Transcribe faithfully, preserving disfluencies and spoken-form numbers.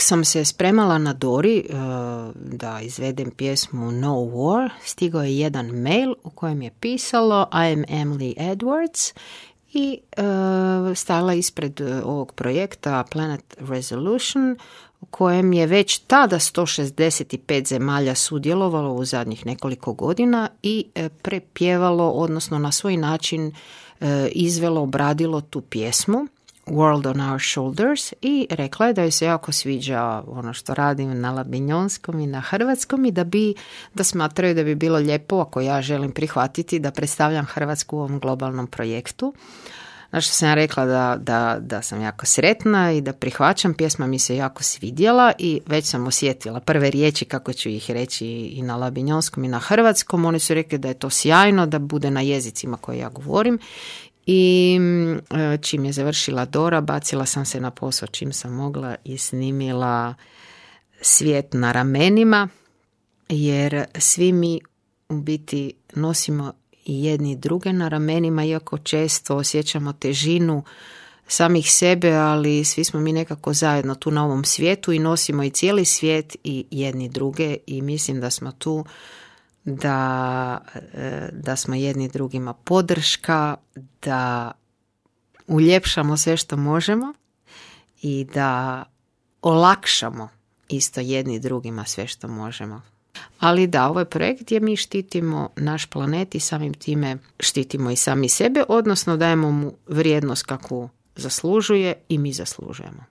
dok sam se spremala na Dori uh, da izvedem pjesmu No War, stigao je jedan mail u kojem je pisalo I am Emily Edwards i uh, stala ispred uh, ovog projekta Planet Resolution u kojem je već tada sto šezdeset pet zemalja sudjelovalo u zadnjih nekoliko godina i uh, prepjevalo, odnosno na svoj način uh, izvelo, obradilo tu pjesmu World on Our Shoulders i rekla je da joj se jako sviđa ono što radim na labinjonskom i na hrvatskom i da bi, da smatraju da bi bilo lijepo ako ja želim prihvatiti da predstavljam Hrvatsku u ovom globalnom projektu. Na što sam ja rekla da, da, da sam jako sretna i da prihvaćam, pjesma mi se jako svidjela i već sam osjetila prve riječi kako ću ih reći i na labinjonskom i na hrvatskom. Oni su rekli da je to sjajno, da bude na jezicima koje ja govorim. I čim je završila Dora, bacila sam se na posao čim sam mogla i snimila Svijet na ramenima, jer svi mi u biti nosimo i jedni druge na ramenima, iako često osjećamo težinu samih sebe, ali svi smo mi nekako zajedno tu na ovom svijetu i nosimo i cijeli svijet i jedni druge i mislim da smo tu da, da smo jedni drugima podrška, da uljepšamo sve što možemo i da olakšamo isto jedni drugima sve što možemo. Ali da, ovaj projekt gdje mi štitimo naš planet i samim time štitimo i sami sebe, odnosno dajemo mu vrijednost kakvu zaslužuje i mi zaslužujemo.